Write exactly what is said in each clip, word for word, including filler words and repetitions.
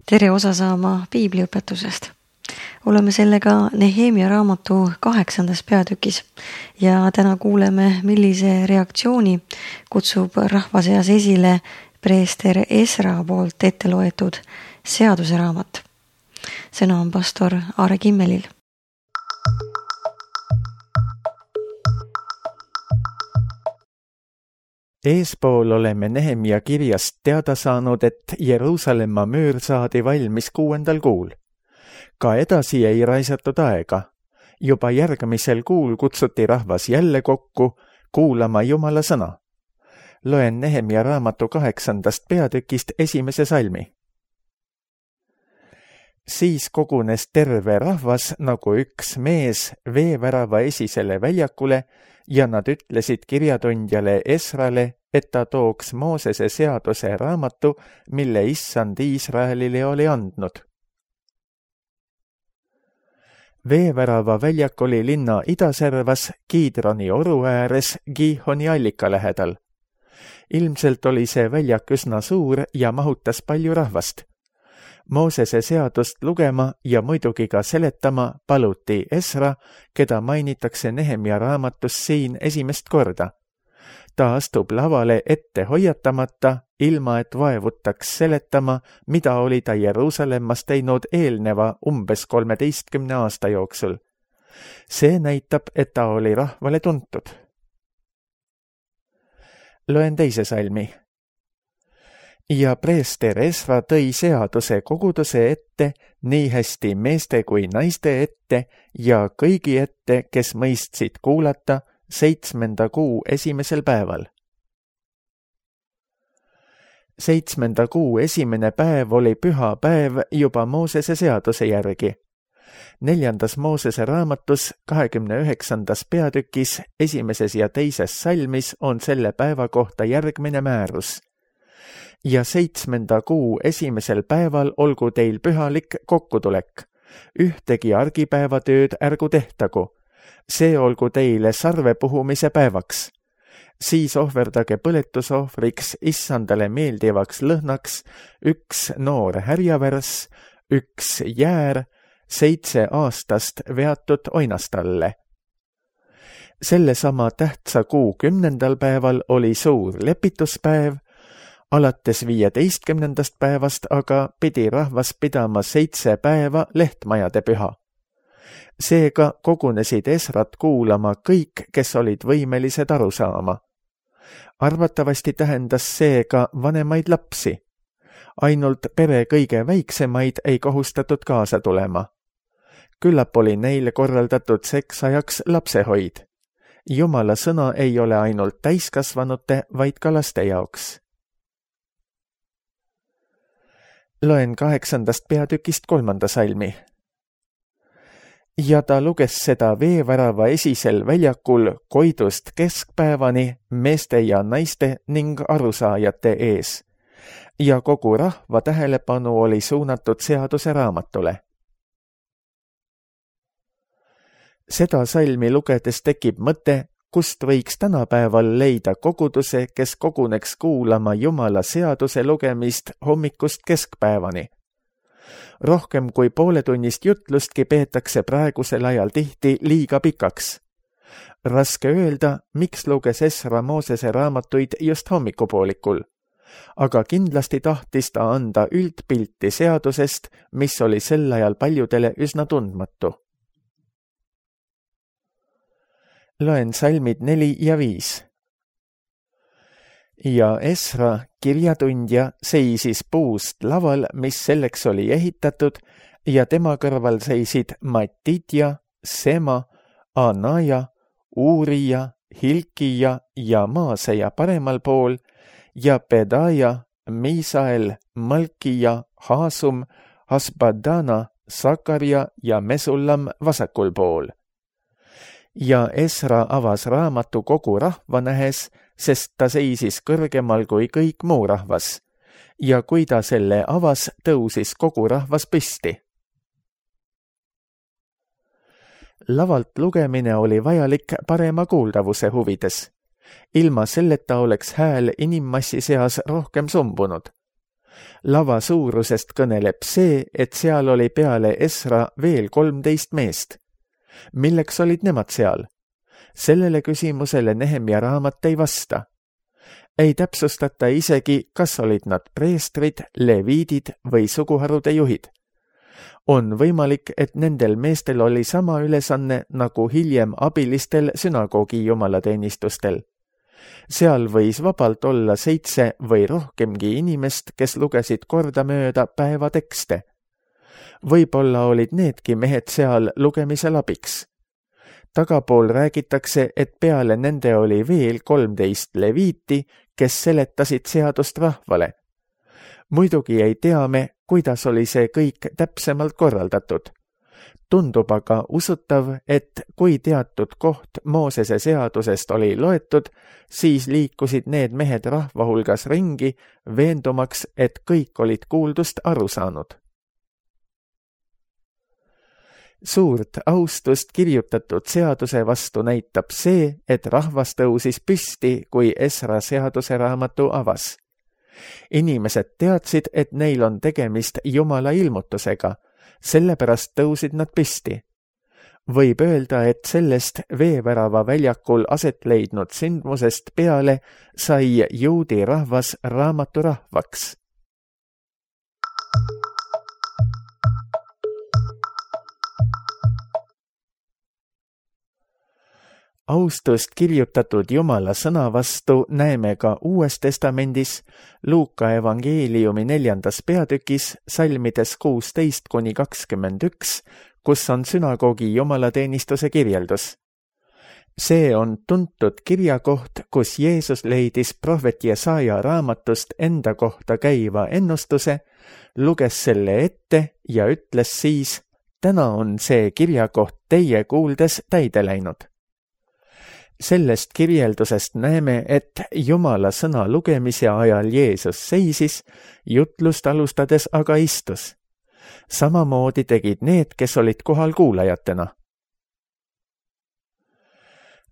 tere osa saama piibliõpetusest. Oleme sellega Nehemia raamatu kaheksandas peatükis ja täna kuuleme, millise reaktsiooni kutsub rahva seas esile preester Esra poolt ette loetud seaduse raamat. Sõna on pastor Aare Kimmelil. Eespool oleme Nehemia kirjast teada saanud, et Jeruusalemma müür saadi valmis kuuendal kuul. Ka edasi ei raisatud aega. Juba järgmisel kuul kutsuti rahvas jälle kokku kuulama Jumala sõna. Loen Nehemia raamatu kaheksandast peatükist esimese salmi. Siis kogunes terve rahvas nagu üks mees veevärava esisele väljakule ja nad ütlesid kirjatundjale Esrale, et ta tooks Moosese seaduse raamatu, mille issand Iisraelile oli andnud. Veevärava väljak oli linna idaservas Kiidroni oru ääres Gihoni allika lähedal. Ilmselt oli see väljak üsna suur ja mahutas palju rahvast. Moosese seadust lugema ja muidugi ka seletama paluti Esra, keda mainitakse Nehemia raamatus siin esimest korda. Ta astub lavale ette hoiatamata, ilma et vaevutaks seletama, mida oli ta Jeruusalemmas teinud eelneva umbes kolmeteistkümne aasta jooksul. See näitab, et ta oli rahvale tuntud. Loen teise salmi. Ja preester Esra tõi seaduse koguduse ette, nii hästi meeste kui naiste ette ja kõigi ette, kes mõistsid kuulata, seitsmenda kuu esimesel päeval. Seitsmenda kuu esimene päev oli püha päev juba Moosese seaduse järgi. Neljandas Moosese raamatus kahekümne üheksandas peatükis esimeses ja teises salmis on selle päeva kohta järgmine määrus. Ja seitsmenda kuu esimesel päeval olgu teil pühalik kokkutulek. Ühtegi argipäevatööd ärgu tehtagu. See olgu teile sarve puhumise päevaks. Siis ohverdage põletusohvriks issandale meeldivaks lõhnaks üks noor härjavärs, üks jäär, seitse aastast veatud oinastalle. Sellesama tähtsa kuu kümnendal päeval oli suur lepituspäev, alates viieteistkümnendast päevast aga pidi rahvas pidama seitse päeva lehtmajade püha. Seega kogunesid Esrat kuulama kõik, kes olid võimelised aru saama. Arvatavasti tähendas see ka vanemaid lapsi. Ainult pere kõige väiksemaid ei kohustatud kaasa tulema. Küllap oli neile korraldatud seksajaks lapsehoid. Jumala sõna ei ole ainult täiskasvanute, vaid ka laste jaoks. Loen kaheksandast peatükist kolmanda salmi. Ja ta luges seda veevärava esisel väljakul koidust keskpäevani meeste ja naiste ning arusaajate ees. Ja kogu rahva tähelepanu oli suunatud seaduse raamatule. Seda salmi lugedes tekib mõte, kust võiks tänapäeval leida koguduse, kes koguneks kuulama Jumala seaduse lugemist hommikust keskpäevani. Rohkem kui pooletunnist jutlustki peetakse praegusel ajal tihti liiga pikaks. Raske öelda, miks luges Esra Moosese raamatuid just hommikupoolikul, aga kindlasti tahtis ta anda üldpilti seadusest, mis oli sel ajal paljudele üsna tundmatu. Loen salmid neli ja viis. Ja Esra, kirjatundja, seisis puust laval, mis selleks oli ehitatud, ja tema kõrval seisid Matitja, Sema, Anaja, Uurija, Hilkija ja Maaseja paremal pool, ja Pedaja, Misael, Malkija, Haasum, Hasbadana, Sakarja ja Mesullam vasakul pool. Ja Esra avas raamatu kogu rahva nähes, sest ta seisis kõrgemal kui kõik muu rahvas. Ja kui ta selle avas, tõusis kogu rahvas püsti. Lavalt lugemine oli vajalik parema kuuldavuse huvides. Ilma selleta oleks hääl inimmassi seas rohkem sumbunud. Lava suurusest kõneleb see, et seal oli peale Esra veel kolmteist meest. Milleks olid nemad seal? Sellele küsimusele Nehemia raamat ei vasta. Ei täpsustata isegi, kas olid nad preestrid, leviidid või suguharude juhid. On võimalik, et nendel meestel oli sama ülesanne nagu hiljem abilistel sünagoogi jumalateenistustel. Seal võis vabalt olla seitse või rohkemgi inimest, kes lugesid kordamööda päeva tekste. Võib-olla olid needki mehed seal lugemisel abiks. Tagapool räägitakse, et peale nende oli veel kolmteist leviiti, kes seletasid seadust rahvale. Muidugi ei tea me, kuidas oli see kõik täpsemalt korraldatud. Tundub aga usutav, et kui teatud koht Moosese seadusest oli loetud, siis liikusid need mehed rahva hulgas ringi, veendumaks, et kõik olid kuuldust aru saanud. Suurt austust kirjutatud seaduse vastu näitab see, et rahvas tõusis püsti, kui Esra seaduse raamatu avas. Inimesed teadsid, et neil on tegemist Jumala ilmutusega, sellepärast tõusid nad püsti. Võib öelda, et sellest veevärava väljakul aset leidnud sündmusest peale sai juudi rahvas raamatu rahvaks. Austust kirjutatud Jumala sõna vastu näeme ka Uues Testamendis, Luuka evangeeliumi neljandas peatükis, salmides kuusteist kuni kakskümmend üks, kus on sünagoogi jumalateenistuse kirjeldus. See on tuntud kirjakoht, kus Jeesus leidis prohvet Jesaja raamatust enda kohta käiva ennustuse, luges selle ette ja ütles siis, täna on see kirjakoht teie kuuldes täide läinud. Sellest kirjeldusest näeme, et Jumala sõna lugemise ajal Jeesus seisis, jutlust alustades aga istus. Samamoodi tegid need, kes olid kohal kuulajatena.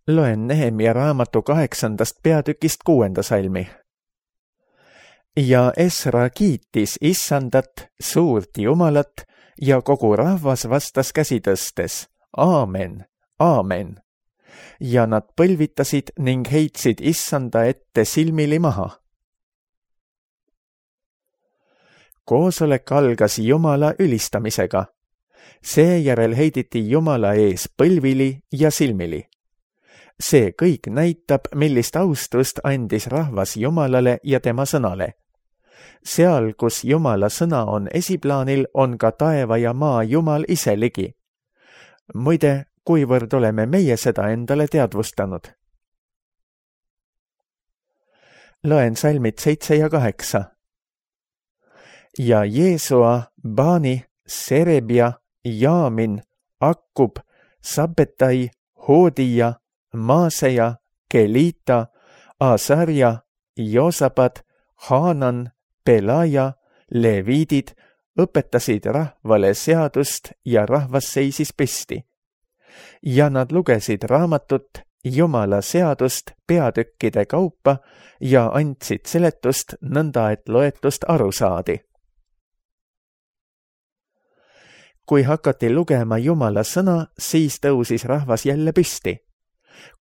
Loen Nehemia raamatu kaheksandast peatükist kuuenda salmi. Ja Esra kiitis Issandat, suurt Jumalat, ja kogu rahvas vastas käsi tõstes, aamen, aamen. Ja nad põlvitasid ning heitsid Issanda ette silmili maha. Koosolek algas Jumala ülistamisega. Seejärel heiditi Jumala ees põlvili ja silmili. See kõik näitab, millist austust andis rahvas Jumalale ja tema sõnale. Seal, kus Jumala sõna on esiplaanil, on ka taeva ja maa Jumal ise ligi. Muide, kuivõrd oleme meie seda endale teadvustanud. Loen salmid seitse ja kaheksa. Ja Jeesua, Bani, Serebia, Jaamin, Akkub, Sabbetai, Hoodija, Maaseja, Kelita, Asarja, Joosabad, Haanan, Pelaja, leviidid õpetasid rahvale seadust ja rahvas seisis püsti. Ja nad lugesid raamatut Jumala seadust peatükkide kaupa ja andsid seletust nõnda, et loetust aru saadi. Kui hakati lugema Jumala sõna, siis tõusis rahvas jälle püsti.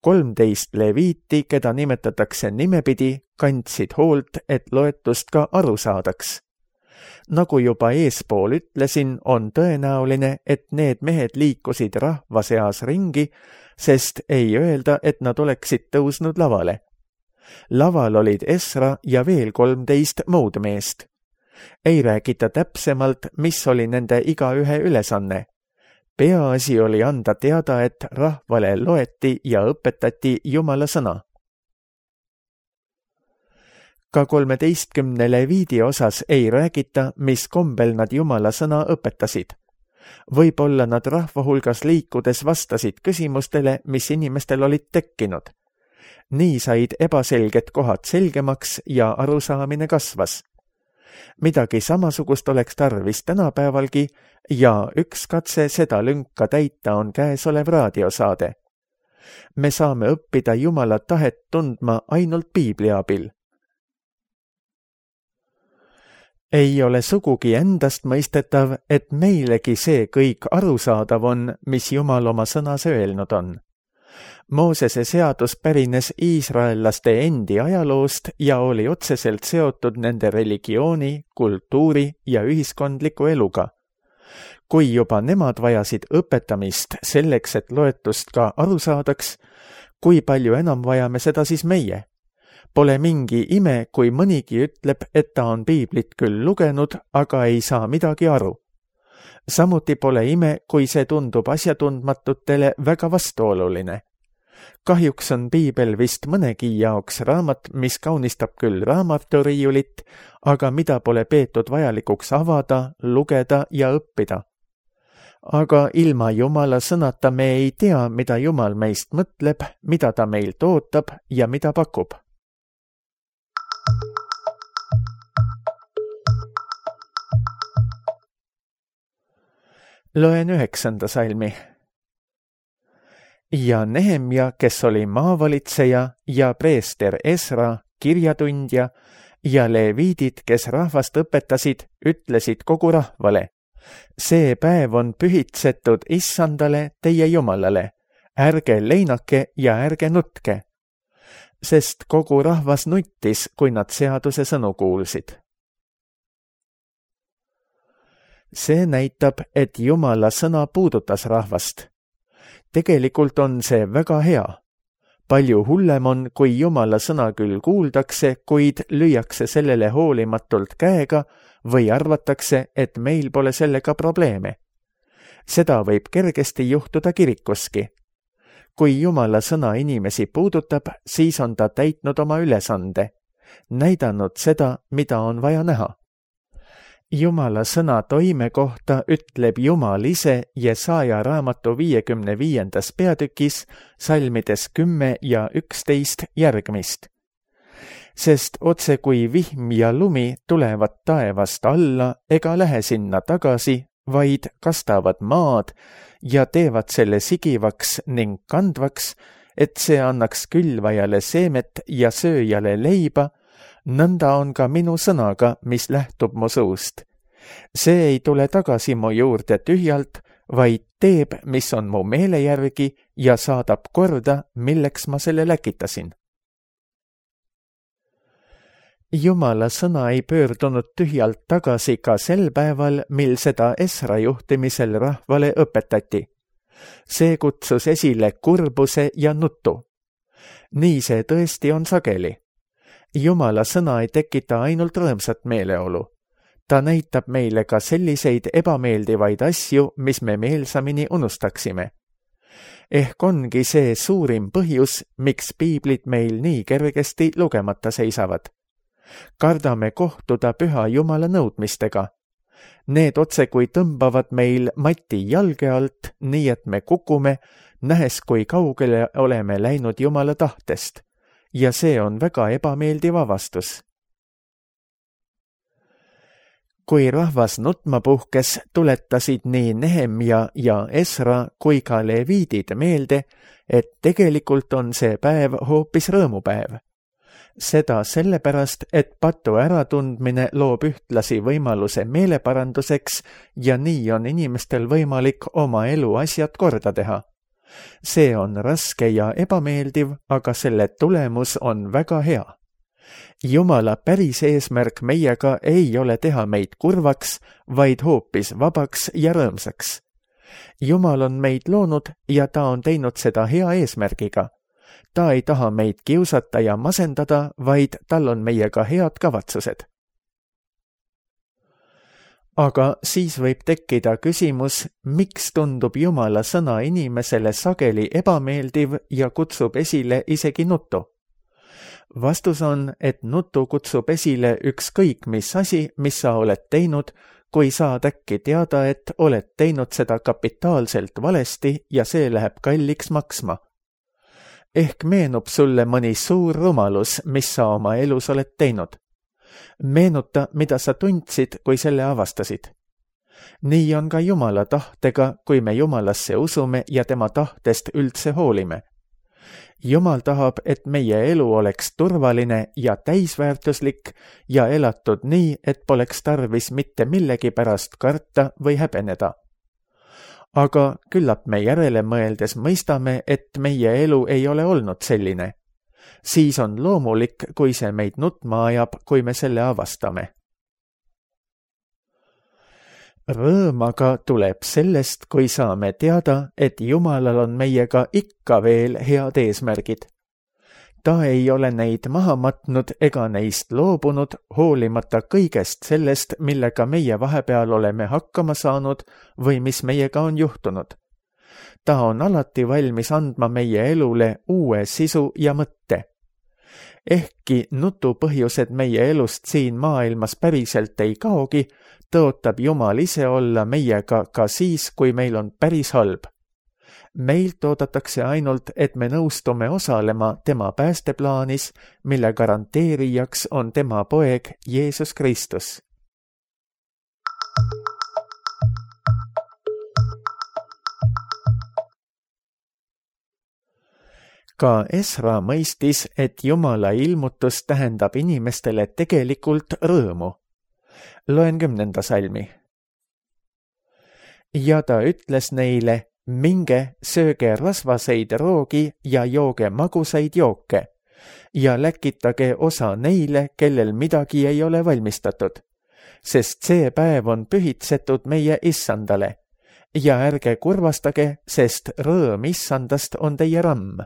Kolmteist leviiti, keda nimetatakse nimepidi, kandsid hoolt, et loetust ka aru saadaks. Nagu juba eespool ütlesin, on tõenäoline, et need mehed liikusid rahva seas ringi, sest ei öelda, et nad oleksid tõusnud lavale. Laval olid Esra ja veel kolmteist muud meest. Ei räägita täpsemalt, mis oli nende igaühe ülesanne. Peaasi oli anda teada, et rahvale loeti ja õpetati Jumala sõna. Ka kolmeteistkümne leviidi osas ei räägita, mis kombel nad Jumala sõna õpetasid. Võib-olla nad rahva hulgas liikudes vastasid küsimustele, mis inimestel olid tekkinud. Nii said ebaselged kohad selgemaks ja arusaamine kasvas. Midagi samasugust oleks tarvis tänapäevalgi ja üks katse seda lünka täita on käesolev raadiosaade. Me saame õppida Jumala tahet tundma ainult Piibli abil. Ei ole sugugi endast mõistetav, et meilegi see kõik arusaadav on, mis Jumal oma sõnas öelnud on. Moosese seadus pärines iisraellaste endi ajaloost ja oli otseselt seotud nende religiooni, kultuuri ja ühiskondliku eluga. Kui juba nemad vajasid õpetamist selleks, et loetust ka aru saadaks, kui palju enam vajame seda siis meie? Pole mingi ime, kui mõnigi ütleb, et ta on piiblit küll lugenud, aga ei saa midagi aru. Samuti pole ime, kui see tundub asjatundmatutele väga vastuoluline. Kahjuks on piibel vist mõnegi jaoks raamat, mis kaunistab küll raamaturiiulit, aga mida pole peetud vajalikuks avada, lugeda ja õppida. Aga ilma Jumala sõnata me ei tea, mida Jumal meist mõtleb, mida ta meilt ootab ja mida pakub. Loen üheksanda salmi. Ja Nehemja, kes oli maavalitseja ja preester Esra, kirjatundja ja leviidid, kes rahvast õpetasid, ütlesid kogu rahvale: see päev on pühitsetud Issandale, teie Jumalale, ärge leinake ja ärge nutke. Sest kogu rahvas nuttis, kui nad seaduse sõnu kuulsid. See näitab, et Jumala sõna puudutas rahvast. Tegelikult on see väga hea. Palju hullem on, kui Jumala sõna küll kuuldakse, kuid lüüakse sellele hoolimatult käega või arvatakse, et meil pole sellega probleeme. Seda võib kergesti juhtuda kirikuski. Kui Jumala sõna inimesi puudutab, siis on ta täitnud oma ülesande, näidanud seda, mida on vaja näha. Jumala sõna toime kohta ütleb Jumal ise Jesaja raamatu viiekümne viiendas peatükis salmides kümme ja üksteist järgmist. Sest otse kui vihm ja lumi tulevad taevast alla ega lähe sinna tagasi, vaid kastavad maad ja teevad selle sigivaks ning kandvaks, et see annaks külvajale seemet ja sööjale leiba, nõnda on ka minu sõnaga, mis lähtub mu suust. See ei tule tagasi mu juurde tühjalt, vaid teeb, mis on mu meele järgi ja saadab korda, milleks ma selle läkitasin. Jumala sõna ei pöördunud tühjalt tagasi ka sel päeval, mil seda Esra juhtimisel rahvale õpetati. See kutsus esile kurbuse ja nutu. Nii see tõesti on sageli. Jumala sõna ei tekita ainult rõõmsat meeleolu. Ta näitab meile ka selliseid ebameeldivaid asju, mis me meelsamini unustaksime. Ehk ongi see suurim põhjus, miks piiblit meil nii kergesti lugemata seisavad. Kardame kohtuda püha Jumala nõudmistega. Need otse kui tõmbavad meil mati jalge alt, nii et me kukume, nähes kui kaugele oleme läinud Jumala tahtest. Ja see on väga ebameeldiv avastus. Kui rahvas nutma puhkes, tuletasid nii Nehemja ja Esra kui ka leviidid meelde, et tegelikult on see päev hoopis rõõmupäev. Seda sellepärast, et patu äratundmine loob ühtlasi võimaluse meeleparanduseks ja nii on inimestel võimalik oma elu asjad korda teha. See on raske ja ebameeldiv, aga selle tulemus on väga hea. Jumala päris eesmärk meiega ei ole teha meid kurvaks, vaid hoopis vabaks ja rõõmsaks. Jumal on meid loonud ja ta on teinud seda hea eesmärgiga. Ta ei taha meid kiusata ja masendada, vaid tal on meiega head kavatsused. Aga siis võib tekkida küsimus, miks tundub Jumala sõna inimesele sageli ebameeldiv ja kutsub esile isegi nutu. Vastus on, et nutu kutsub esile ükskõik mis asi, mis sa oled teinud, kui saad äkki teada, et oled teinud seda kapitaalselt valesti ja see läheb kalliks maksma. Ehk meenub sulle mõni suur rumalus, mis sa oma elus oled teinud. Meenuta, mida sa tundsid, kui selle avastasid. Nii on ka Jumala tahtega, kui me Jumalasse usume ja tema tahtest üldse hoolime. Jumal tahab, et meie elu oleks turvaline ja täisväärtuslik ja elatud nii, et poleks tarvis mitte millegi pärast karta või häbeneda. Aga küllap me järele mõeldes mõistame, et meie elu ei ole olnud selline. Siis on loomulik, kui see meid nutma ajab, kui me selle avastame. Rõõm aga tuleb sellest, kui saame teada, et Jumalal on meiega ikka veel head eesmärgid. Ta ei ole neid maha matnud ega neist loobunud, hoolimata kõigest sellest, millega meie vahepeal oleme hakkama saanud või mis meiega on juhtunud. Ta on alati valmis andma meie elule uue sisu ja mõtte. Ehkki nutupõhjused meie elust siin maailmas päriselt ei kaogi, tõotab Jumal ise olla meiega ka siis, kui meil on päris halb. Meilt oodatakse ainult, et me nõustume osalema tema päästeplaanis, mille garanteerijaks on tema poeg Jeesus Kristus. Ka Esra mõistis, et Jumala ilmutus tähendab inimestele tegelikult rõõmu. Loen kümnenda salmi. Ja ta ütles neile, minge, sööge rasvaseid roogi ja jooge magusaid jooke ja läkitage osa neile, kellel midagi ei ole valmistatud, sest see päev on pühitsetud meie issandale ja ärge kurvastage, sest rõõm issandast on teie ramm.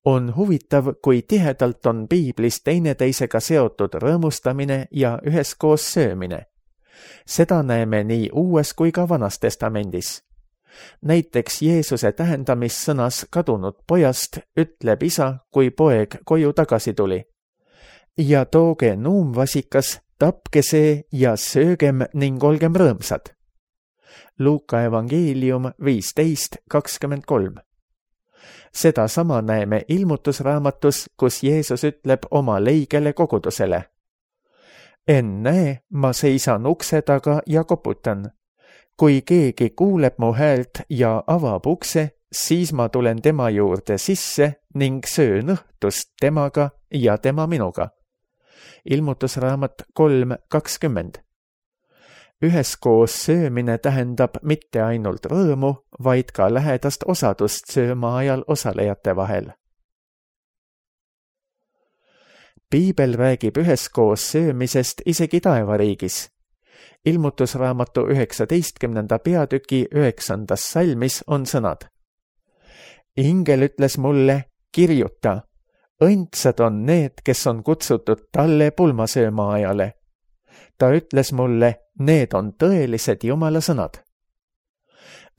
On huvitav, kui tihedalt on piiblis teineteisega seotud rõõmustamine ja üheskoos söömine. Seda näeme nii Uues kui ka Vanas Testamendis. Näiteks Jeesuse tähendamissõnas kadunud pojast ütleb isa, kui poeg koju tagasi tuli. Ja tooge nuumvasikas, tapke see ja söögem ning olgem rõõmsad. Luuka evangeelium viisteist kakskümmend kolm. Seda sama näeme ilmutusraamatus, kus Jeesus ütleb oma leigele kogudusele. Ennäe, ma seisan ukse taga ja koputan. Kui keegi kuuleb mu häält ja avab ukse, siis ma tulen tema juurde sisse ning söön õhtust temaga ja tema minuga. Ilmutusraamat kolm kakskümmend. Üheskoos söömine tähendab mitte ainult rõõmu, vaid ka lähedast osadust sööma ajal osalejate vahel. Piibel räägib üheskoos söömisest isegi taevariigis. Ilmutusraamatu üheksateistkümnenda peatüki üheksandas salmis on sõnad. Ingel ütles mulle, kirjuta, õndsad on need, kes on kutsutud talle pulmasööma ajale. Ta ütles mulle, need on tõelised Jumala sõnad.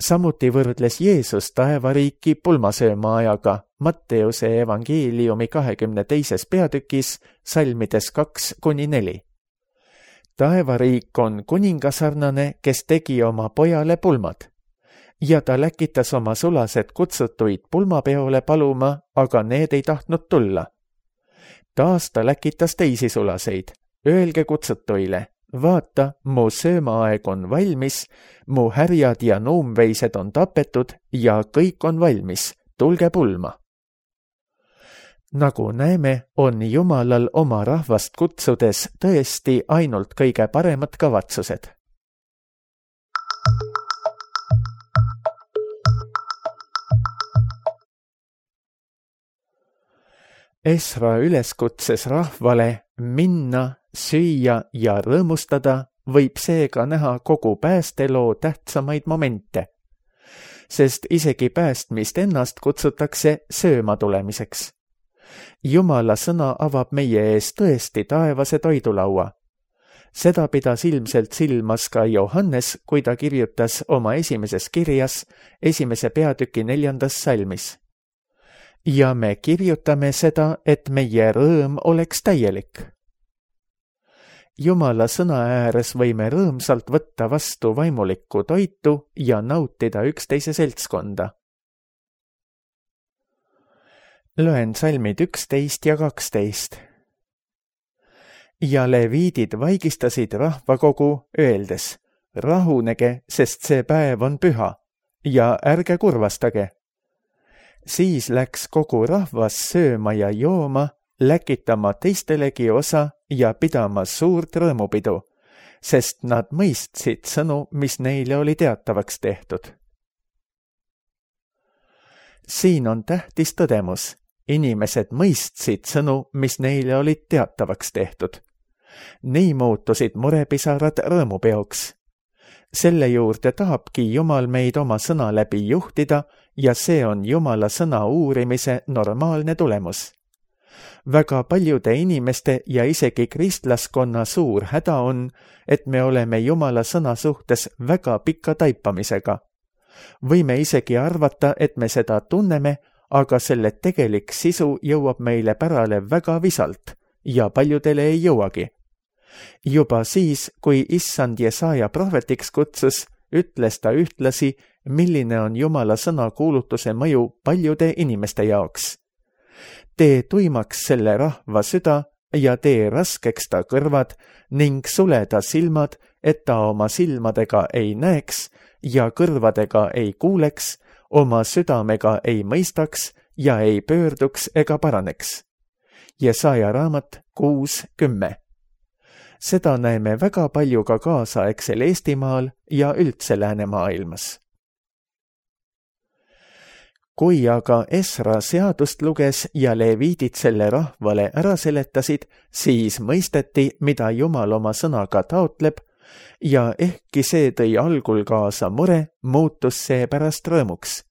Samuti võrdles Jeesus taevariiki pulmasööma ajaga Matteuse evangeeliumi kahekümne teises peatükis salmides kaks kuni neli. Taevariik on kuningasarnane, kes tegi oma pojale pulmad. Ja ta läkitas oma sulased kutsutuid pulmapeole paluma, aga need ei tahtnud tulla. Taas ta läkitas teisi sulaseid. Öelge kutsutuile, vaata, mu söömaaeg on valmis, mu härjad ja nuumveised on tapetud ja kõik on valmis, tulge pulma. Nagu näeme, on Jumalal oma rahvast kutsudes tõesti ainult kõige paremad kavatsused. Esra üleskutses rahvale minna, süüa ja rõõmustada võib seega näha kogu päästeloo tähtsamaid momente, sest isegi päästmist ennast kutsutakse sööma tulemiseks. Jumala sõna avab meie ees tõesti taevase toidulaua. Seda pidas ilmselt silmas ka Johannes, kui ta kirjutas oma esimeses kirjas esimese peatüki neljandas salmis. Ja me kirjutame seda, et meie rõõm oleks täielik. Jumala sõna ääres võime rõõmsalt võtta vastu vaimulikku toitu ja nautida üksteise seltskonda. Loen salmid üksteist ja kaksteist. Ja leviidid vaigistasid rahvakogu, öeldes, rahunege, sest see päev on püha, ja ärge kurvastage, Siis läks kogu rahvas sööma ja jooma, läkitama teistelegi osa ja pidama suurt rõõmupidu, sest nad mõistsid sõnu, mis neile oli teatavaks tehtud. Siin on tähtis tõdemus. Inimesed mõistsid sõnu, mis neile olid teatavaks tehtud. Nii muutusid murepisarad rõõmupeoks. Selle juurde tahabki Jumal meid oma sõna läbi juhtida ja see on Jumala sõna uurimise normaalne tulemus. Väga paljude inimeste ja isegi kristlaskonna suur häda on, et me oleme Jumala sõna suhtes väga pika taipamisega. Võime isegi arvata, et me seda tunneme, aga selle tegelik sisu jõuab meile pärale väga visalt ja paljudele ei jõuagi. Juba siis, kui issand Jesaja prohvetiks kutsus, ütles ta ühtlasi, milline on Jumala sõna kuulutuse mõju paljude inimeste jaoks. Tee tuimaks selle rahva süda ja tee raskeks ta kõrvad ning sule ta silmad, et ta oma silmadega ei näeks ja kõrvadega ei kuuleks, oma südamega ei mõistaks ja ei pöörduks ega paraneks. Jesaja raamat kuus kümme. Seda näeme väga palju ka kaasaegsel Eestimaal ja üldse läänemaailmas. Kui aga Esra seadust luges ja leviidid selle rahvale ära seletasid, siis mõisteti, mida Jumal oma sõnaga taotleb, ja ehkki see tõi algul kaasa mure, muutus see pärast rõõmuks.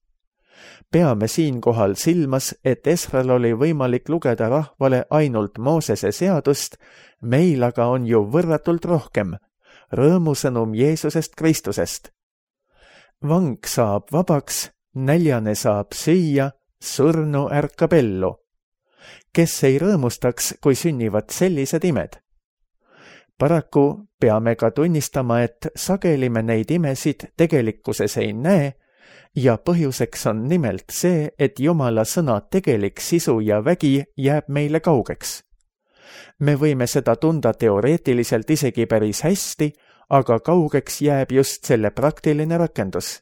Peame siinkohal silmas, et Esral oli võimalik lugeda rahvale ainult Moosese seadust, meil aga on ju võrratult rohkem, rõõmusõnum Jeesusest Kristusest. Vang saab vabaks, näljane saab süüa, surnu ärkab ellu. Kes ei rõõmustaks, kui sünnivad sellised imed? Paraku peame ka tunnistama, et sageli me neid imesid tegelikkuses ei näe ja põhjuseks on nimelt see, et Jumala sõna tegelik sisu ja vägi jääb meile kaugeks. Me võime seda tunda teoreetiliselt isegi päris hästi, aga kaugeks jääb just selle praktiline rakendus.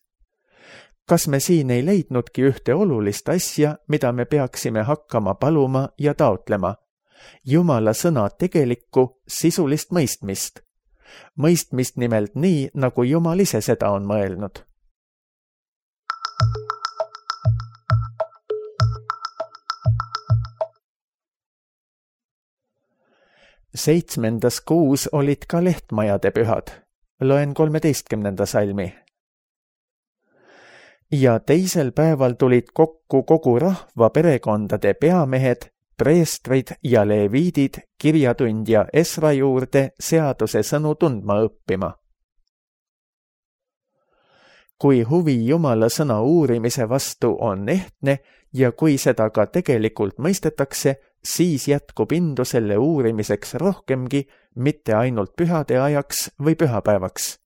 Kas me siin ei leidnudki ühte olulist asja, mida me peaksime hakkama paluma ja taotlema? Jumala sõna tegelikku sisulist mõistmist. Mõistmist nimelt nii, nagu Jumal ise seda on mõelnud. Seitsmendas kuus olid ka lehtmajade pühad. Loen kolmeteistkümnenda salmi. Ja teisel päeval tulid kokku kogu rahva perekondade peamehed, preestrid ja leviidid kirjatundja Esra juurde seaduse sõnu tundma õppima. Kui huvi Jumala sõna uurimise vastu on ehtne ja kui seda ka tegelikult mõistetakse, siis jätkub indu selle uurimiseks rohkemgi, mitte ainult pühade ajaks või pühapäevaks.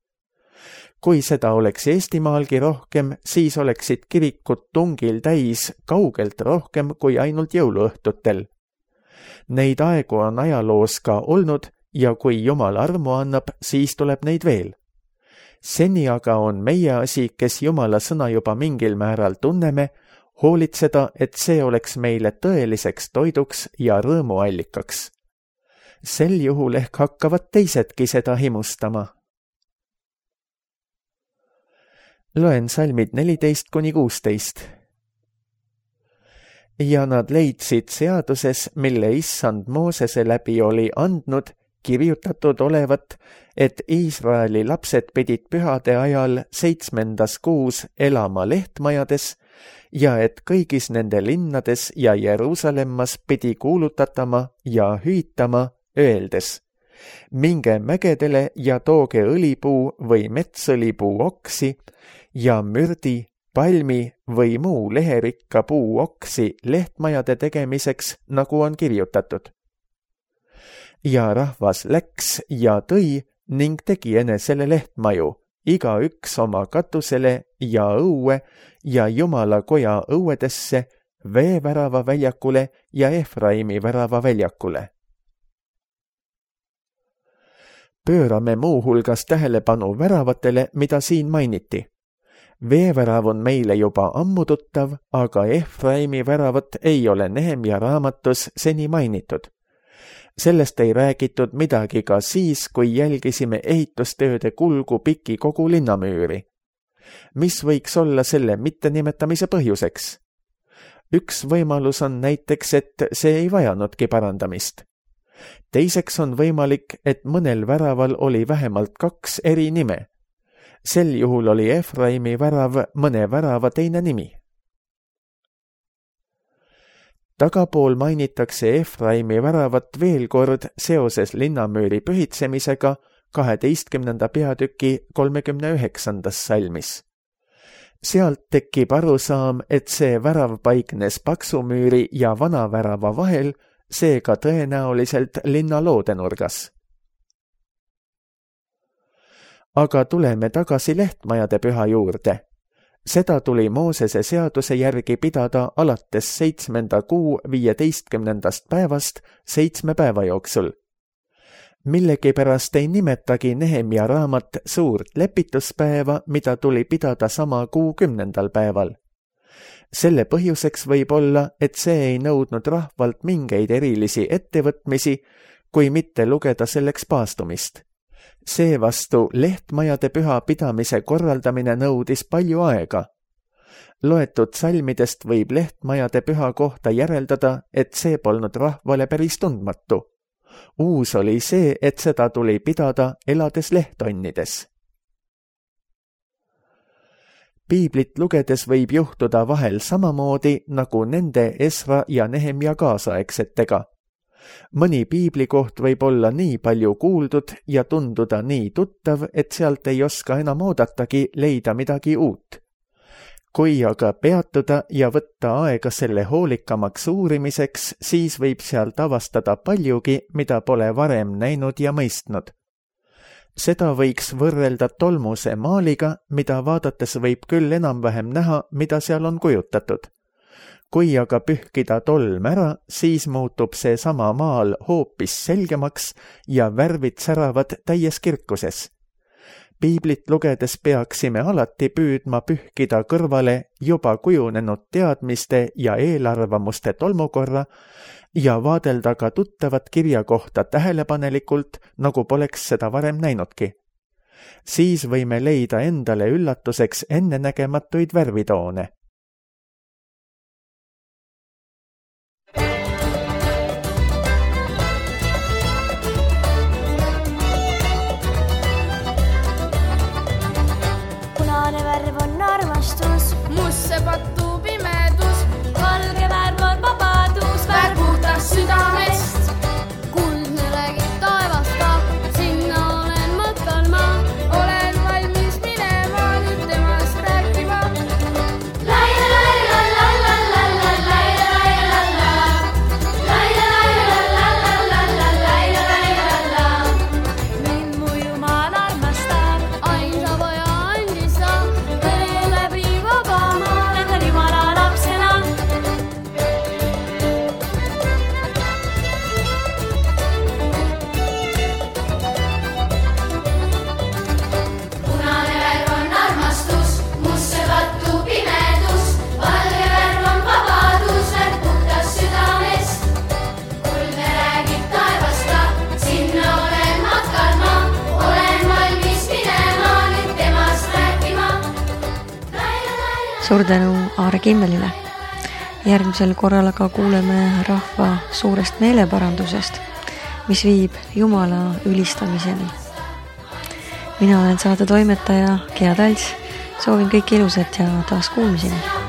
Kui seda oleks Eestimaalgi rohkem, siis oleksid kirikud tungil täis kaugelt rohkem kui ainult jõuluõhtutel. Neid aegu on ajaloos ka olnud ja kui Jumal armu annab, siis tuleb neid veel. Seni aga on meie asi, kes Jumala sõna juba mingil määral tunneme, hoolitseda, et see oleks meile tõeliseks toiduks ja rõõmuallikaks. Sel juhul ehk hakkavad teisedki seda himustama. Loen salmid neliteist kuni kuusteist. Ja nad leidsid seaduses, mille issand Moosese läbi oli andnud, kirjutatud olevat, et Iisraeli lapsed pidid pühade ajal seitsmendas kuus elama lehtmajades ja et kõigis nende linnades ja Jeruusalemmas pidi kuulutatama ja hüütama, öeldes: minge mägedele ja tooge õlipuu või metsõlipuu oksi ja mürdi, palmi või muu leherikka puu oksi lehtmajade tegemiseks, nagu on kirjutatud. Ja rahvas läks ja tõi ning tegi enesele lehtmaju, iga üks oma katusele ja õue ja Jumala koja õuedesse, veevärava väljakule ja Efraimi värava väljakule. Pöörame muuhulgas tähelepanu väravatele, mida siin mainiti. veevärav on meile juba ammu tuttav, aga Efraimi väravat ei ole Nehemia raamatus seni mainitud. Sellest ei räägitud midagi ka siis, kui jälgisime ehitustööde kulgu piki kogu linnamüüri. Mis võiks olla selle mittenimetamise põhjuseks? Üks võimalus on näiteks, et see ei vajanudki parandamist. Teiseks on võimalik, et mõnel väraval oli vähemalt kaks eri nime. Sel juhul oli Efraimi värav mõne värava teine nimi. Tagapool mainitakse Efraimi väravat veel kord seoses linnamüüri pühitsemisega kaheteistkümnenda peatüki kolmekümne üheksandas salmis. Sealt tekib arusaam, et see värav paiknes paksumüüri ja vana värava vahel, seega tõenäoliselt linna loodenurgas. Aga tuleme tagasi lehtmajade püha juurde. Seda tuli Moosese seaduse järgi pidada alates seitsmenda kuu viieteistkümnendast päevast seitsme päeva jooksul. Millegipärast ei nimetagi Nehemia raamat suurt lepituspäeva, mida tuli pidada sama kuu kümnendal päeval. Selle põhjuseks võib olla, et see ei nõudnud rahvalt mingeid erilisi ettevõtmisi, kui mitte lugeda selleks paastumist. Seevastu lehtmajade püha pidamise korraldamine nõudis palju aega. Loetud salmidest võib lehtmajade püha kohta järeldada, et see polnud rahvale päris tundmatu. Uus oli see, et seda tuli pidada elades lehtonnides. Piiblit lugedes võib juhtuda vahel samamoodi nagu nende Esra ja Nehemia kaasaegsetega. Mõni piiblikoht võib olla nii palju kuuldud ja tunduda nii tuttav, et sealt ei oska enam oodatagi leida midagi uut. Kui aga peatuda ja võtta aega selle hoolikamaks uurimiseks, siis võib sealt avastada paljugi, mida pole varem näinud ja mõistnud. Seda võiks võrrelda tolmuse maaliga, mida vaadates võib küll enam-vähem näha, mida seal on kujutatud. Kui aga pühkida tolm ära, siis muutub see sama maal hoopis selgemaks ja värvid säravad täies kirkuses. Piiblit lugedes peaksime alati püüdma pühkida kõrvale juba kujunenud teadmiste ja eelarvamuste tolmukorra ja vaadelda ka tuttavat kirja kohta tähelepanelikult, nagu poleks seda varem näinudki. Siis võime leida endale üllatuseks ennenägematuid värvitoone. Musse pattuu pimedus, valge värv on vabadus, värv puhtas südamest. Kuldne räägib taevast ka, sinna olen matkal ma, olen valmis minema nüüd temast rääkima. Laia, laia, la, la, la, la, laia, laia, la, la, laia, laia, la, la, la, la, laia, laia, la. Mind mu Jumal armastab, ainsa poja andis ta, kõne läbi vaba. Suur tänu Aare Kimmelile. Järgmisel korral aga kuuleme rahva suurest meeleparandusest, mis viib Jumala ülistamiseni. Mina olen saate toimetaja Gea Talts. Soovin kõik ilusat ja taas kuulmiseni.